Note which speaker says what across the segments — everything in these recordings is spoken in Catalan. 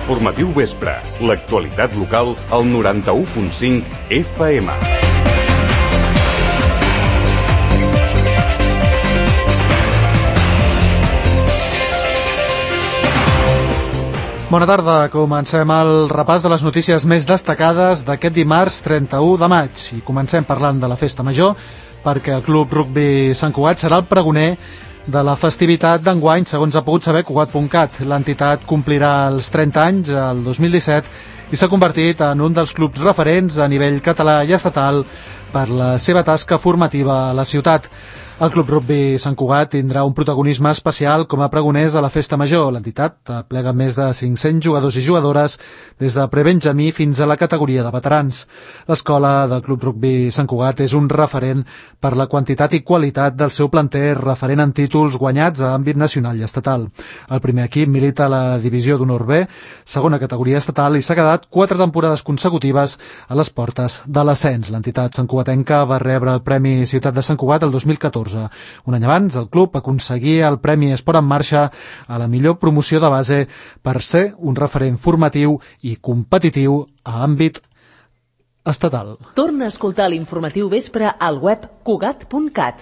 Speaker 1: Informatiu Vespre, l'actualitat local al 91.5 FM.
Speaker 2: Bona tarda, comencem el repàs de les notícies més destacades d'aquest dimarts 31 de maig. I comencem parlant de la Festa Major, perquè el Club Rugby Sant Cugat serà el pregoner de la festivitat d'enguany, segons ha pogut saber Cugat.cat. L'entitat complirà els 30 anys el 2017 i s'ha convertit en un dels clubs referents a nivell català i estatal per la seva tasca formativa a la ciutat. El Club Rugby Sant Cugat tindrà un protagonisme especial com a pregoners a la Festa Major. L'entitat aplega més de 500 jugadors i jugadores des de prebenjamí fins a la categoria de veterans. L'escola del Club Rugby Sant Cugat és un referent per la quantitat i qualitat del seu planter, referent en títols guanyats a àmbit nacional i estatal. El primer equip milita a la divisió d'honor B, segona categoria estatal, i s'ha quedat 4 temporades consecutives a les portes de l'ascens. L'entitat santcugatenca va rebre el Premi Ciutat de Sant Cugat el 2014. Un any abans, el club aconseguia el Premi Esport en Marxa a la millor promoció de base per ser un referent formatiu i competitiu a àmbit estatal.
Speaker 3: Torna a escoltar l'informatiu Vespre al web Cugat.cat.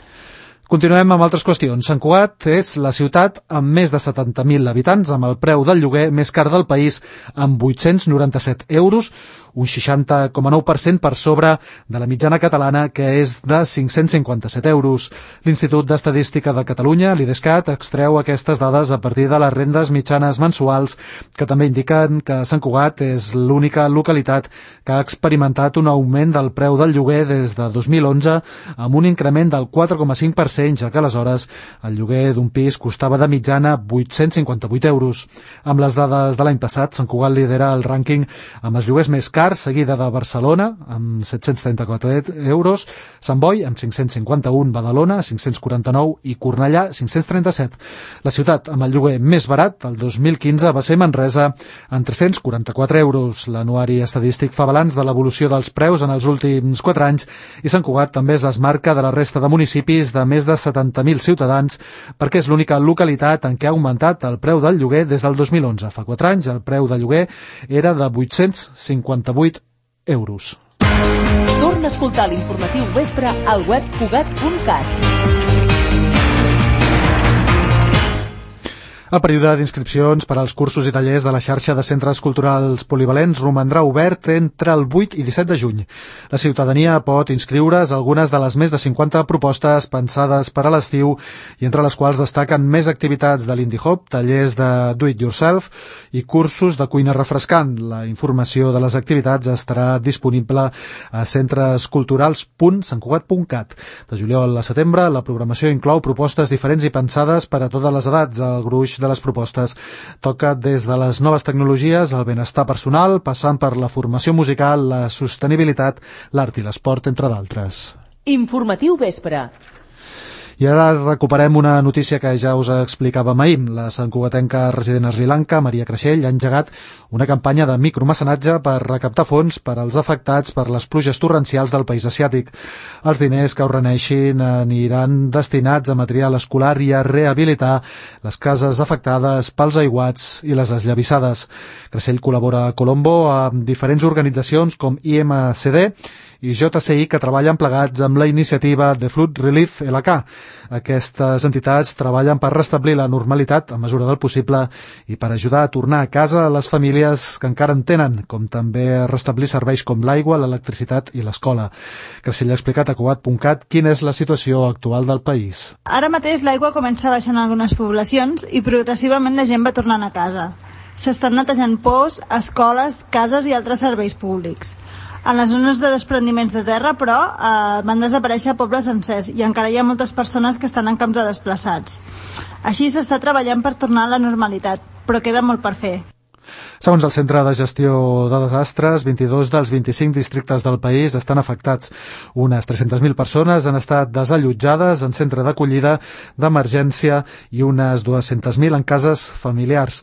Speaker 2: Continuem amb altres qüestions. Sant Cugat és la ciutat amb més de 70.000 habitants, amb el preu del lloguer més car del país, amb 897 euros, un 60,9% per sobre de la mitjana catalana, que és de 557 euros. L'Institut d'Estadística de Catalunya, l'IDESCAT, extreu aquestes dades a partir de les rendes mitjanes mensuals, que també indiquen que Sant Cugat és l'única localitat que ha experimentat un augment del preu del lloguer des de 2011, amb un increment del 4,5%, ja que aleshores el lloguer d'un pis costava de mitjana 858 euros. Amb les dades de l'any passat, Sant Cugat lidera el rànquing amb els lloguers més cars, seguida de Barcelona, amb 734 euros, Sant Boi, amb 551, Badalona, 549 i Cornellà, 537. La ciutat amb el lloguer més barat, el 2015, va ser Manresa, amb 344 euros. L'anuari estadístic fa balanç de l'evolució dels preus en els últims 4 anys i Sant Cugat també es desmarca de la resta de municipis de més de 70.000 ciutadans perquè és l'única localitat en què ha augmentat el preu del lloguer des del 2011. Fa 4 anys el preu de lloguer era de 858 euros.
Speaker 3: Torna a escoltar l'informatiu Vespre al web Cugat.cat.
Speaker 2: El període d'inscripcions per als cursos i tallers de la xarxa de centres culturals polivalents romandrà obert entre el 8 i 17 de juny. La ciutadania pot inscriure's a algunes de les més de 50 propostes pensades per a l'estiu i entre les quals destaquen més activitats de l'Indie Hop, tallers de do-it-yourself i cursos de cuina refrescant. La informació de les activitats estarà disponible a centresculturals.santcugat.cat. De juliol a setembre, la programació inclou propostes diferents i pensades per a totes les edats. El gruix de les propostes toca des de les noves tecnologies, el benestar personal, passant per la formació musical, la sostenibilitat, l'art i l'esport, entre d'altres.
Speaker 3: Informatiu Vespre.
Speaker 2: I ara recuperem una notícia que ja us explicàvem ahir. La santcugatenca resident a Sri Lanka, Maria Creixell, ha engegat una campanya de micromecenatge per recaptar fons per als afectats per les pluges torrencials del país asiàtic. Els diners que ho reneixin aniran destinats a material escolar i a rehabilitar les cases afectades pels aiguats i les esllavissades. Creixell col·labora a Colombo amb diferents organitzacions com IMCD i JCI que treballen plegats amb la iniciativa The Flood Relief LK. Aquestes entitats treballen per restablir la normalitat a mesura del possible i per ajudar a tornar a casa a les famílies que encara en tenen, com també a restablir serveis com l'aigua, l'electricitat i l'escola. Creixell ha explicat a Cugat.cat quina és la situació actual del país.
Speaker 4: Ara mateix l'aigua comença a baixar en algunes poblacions i progressivament la gent va tornant a casa. S'estan netejant pous, escoles, cases i altres serveis públics. En les zones de desprendiments de terra, però, van desaparèixer pobles sencers i encara hi ha moltes persones que estan en camps de desplaçats. Així s'està treballant per tornar a la normalitat, però queda molt per fer.
Speaker 2: Segons el Centre de Gestió de Desastres, 22 dels 25 districtes del país estan afectats. Unes 300.000 persones han estat desallotjades en centre d'acollida d'emergència i unes 200.000 en cases familiars.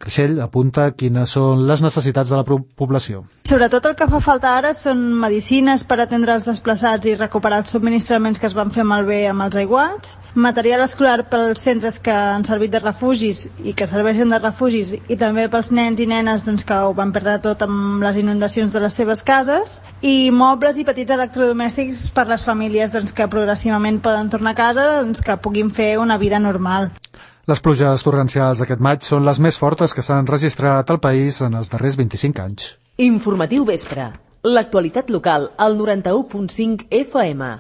Speaker 2: Creixell apunta quines són les necessitats de la població.
Speaker 4: Sobretot el que fa falta ara són medicines per atendre els desplaçats i recuperar els subministraments que es van fer malbé amb els aiguats, material escolar pels centres que han servit de refugis i que serveixen de refugis, i també pels nens i nenes que ho van perdre tot amb les inundacions de les seves cases, i mobles i petits electrodomèstics per les famílies que progressivament poden tornar a casa, que puguin fer una vida normal.
Speaker 2: Les pluges torrencials d'aquest maig són les més fortes que s'han registrat al país en els darrers 25 anys.
Speaker 3: Informatiu Vespre. L'actualitat local al 91.5 FM.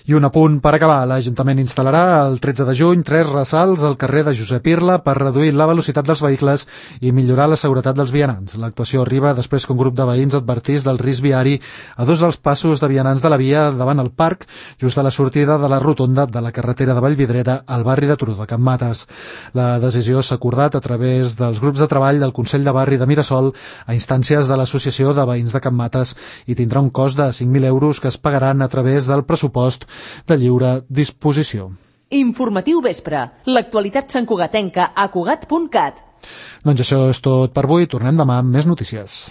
Speaker 2: I un apunt per acabar. L'Ajuntament instal·larà el 13 de juny 3 ressalts al carrer de Josep Irla per reduir la velocitat dels vehicles i millorar la seguretat dels vianants. L'actuació arriba després que un grup de veïns advertís del risc viari a dos dels passos de vianants de la via davant el parc, just a la sortida de la rotonda de la carretera de Vallvidrera al barri de Turó de Can Mates. La decisió s'ha acordat a través dels grups de treball del Consell de Barri de Mirasol a instàncies de l'Associació de Veïns de Can Mates i tindrà un cost de 5.000 euros que es pagaran a través del pressupost de lliure disposició.
Speaker 3: Informatiu Vespre. L'actualitat santcugatenca a cugat.cat.
Speaker 2: Doncs això és tot per avui. Tornem demà amb més notícies.